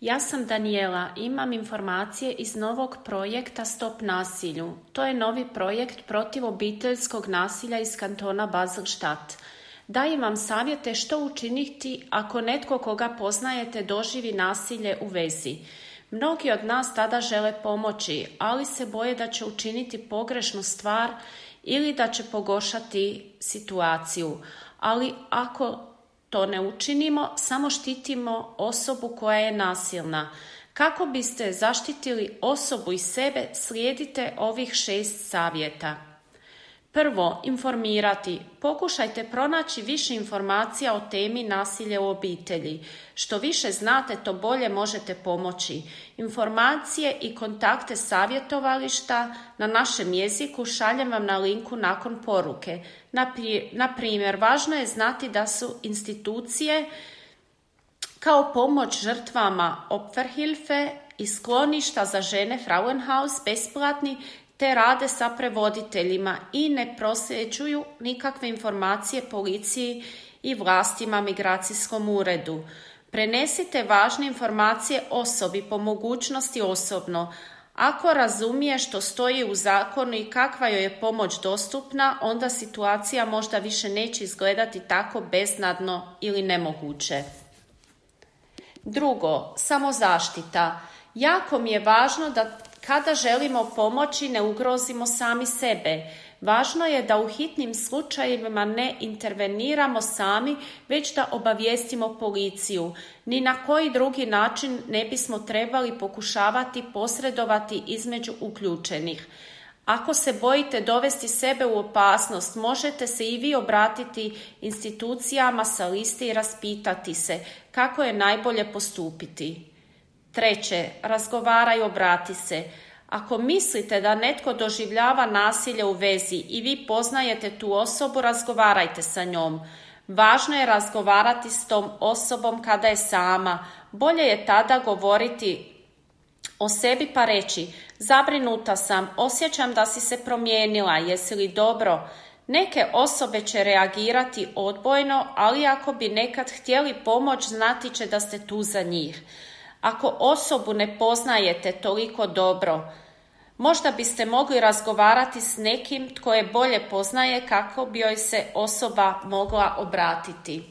Ja sam Daniela, imam informacije iz novog projekta Stop nasilju. To je novi projekt protiv obiteljskog nasilja iz kantona Basel-Stadt. Dajem vam savjete što učiniti ako netko koga poznajete doživi nasilje u vezi. Mnogi od nas tada žele pomoći, ali se boje da će učiniti pogrešnu stvar ili da će pogoršati situaciju. Ali ako to ne učinimo, samo štitimo osobu koja je nasilna. Kako biste zaštitili osobu i sebe, slijedite ovih 6 savjeta. Prvo, informirati. Pokušajte pronaći više informacija o temi nasilja u obitelji. Što više znate, to bolje možete pomoći. Informacije i kontakte savjetovališta na našem jeziku šaljem vam na linku nakon poruke. Na primjer, važno je znati da su institucije kao pomoć žrtvama Opferhilfe i skloništa za žene Frauenhaus besplatni, te rade sa prevoditeljima i ne prosljeđuju nikakve informacije policiji i vlastima migracijskom uredu. Prenesite važne informacije osobi, po mogućnosti osobno. Ako razumije što stoji u zakonu i kakva joj je pomoć dostupna, onda situacija možda više neće izgledati tako beznadno ili nemoguće. Drugo, samozaštita. Jako mi je važno da kada želimo pomoći ne ugrozimo sami sebe. Važno je da u hitnim slučajevima ne interveniramo sami, već da obavijestimo policiju. Ni na koji drugi način ne bismo trebali pokušavati posredovati između uključenih. Ako se bojite dovesti sebe u opasnost, možete se i vi obratiti institucijama sa liste i raspitati se kako je najbolje postupiti. Treće, razgovaraj, obrati se. Ako mislite da netko doživljava nasilje u vezi i vi poznajete tu osobu, razgovarajte sa njom. Važno je razgovarati s tom osobom kada je sama. Bolje je tada govoriti o sebi pa reći: zabrinuta sam, osjećam da si se promijenila, jesi li dobro? Neke osobe će reagirati odbojno, ali ako bi nekad htjeli pomoć, znati će da ste tu za njih. Ako osobu ne poznajete toliko dobro, možda biste mogli razgovarati s nekim tko je bolje poznaje kako bi joj se osoba mogla obratiti.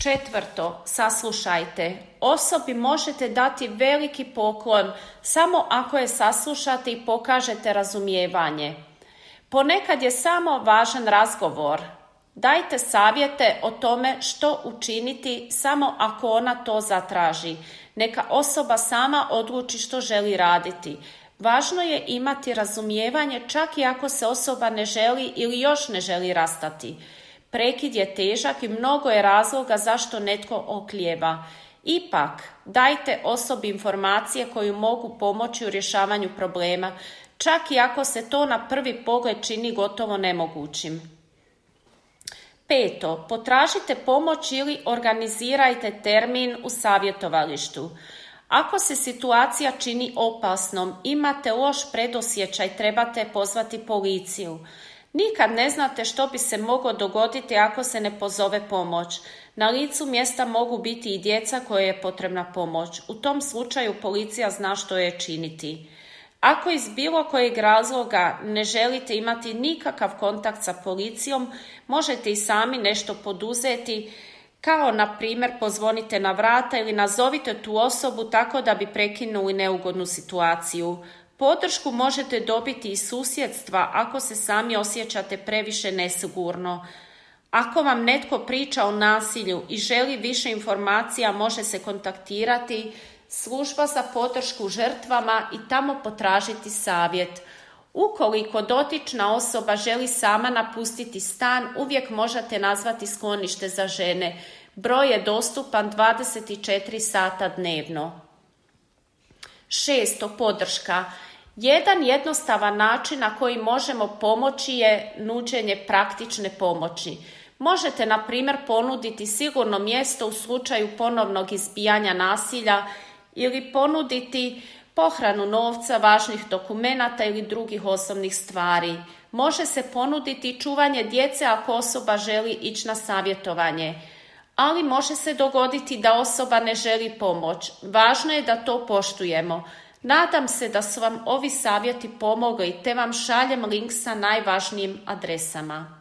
Četvrto, saslušajte. Osobi možete dati veliki poklon samo ako je saslušate i pokažete razumijevanje. Ponekad je samo važan razgovor. Dajte savjete o tome što učiniti samo ako ona to zatraži. Neka osoba sama odluči što želi raditi. Važno je imati razumijevanje čak i ako se osoba ne želi ili još ne želi rastati. Prekid je težak i mnogo je razloga zašto netko oklijeva. Ipak, dajte osobi informacije koje mogu pomoći u rješavanju problema, čak i ako se to na prvi pogled čini gotovo nemogućim. Peto, potražite pomoć ili organizirajte termin u savjetovalištu. Ako se situacija čini opasnom, imate loš predosjećaj, trebate pozvati policiju. Nikad ne znate što bi se moglo dogoditi ako se ne pozove pomoć. Na licu mjesta mogu biti i djeca kojoj je potrebna pomoć. U tom slučaju policija zna što je činiti. Ako iz bilo kojeg razloga ne želite imati nikakav kontakt sa policijom, možete i sami nešto poduzeti, kao na primjer pozvonite na vrata ili nazovite tu osobu tako da bi prekinuli neugodnu situaciju. Podršku možete dobiti iz susjedstva ako se sami osjećate previše nesigurno. Ako vam netko priča o nasilju i želi više informacija, može se kontaktirati služba za podršku žrtvama i tamo potražiti savjet. Ukoliko dotična osoba želi sama napustiti stan, uvijek možete nazvati sklonište za žene. Broj je dostupan 24 sata dnevno. Šesto, podrška. Jedan jednostavan način na koji možemo pomoći je nuđenje praktične pomoći. Možete, na primjer, ponuditi sigurno mjesto u slučaju ponovnog izbijanja nasilja ili ponuditi pohranu novca, važnih dokumenata ili drugih osobnih stvari. Može se ponuditi čuvanje djece ako osoba želi ići na savjetovanje. ali može se dogoditi da osoba ne želi pomoć. Važno je da to poštujemo. Nadam se da su vam ovi savjeti pomogli te vam šaljem link sa najvažnijim adresama.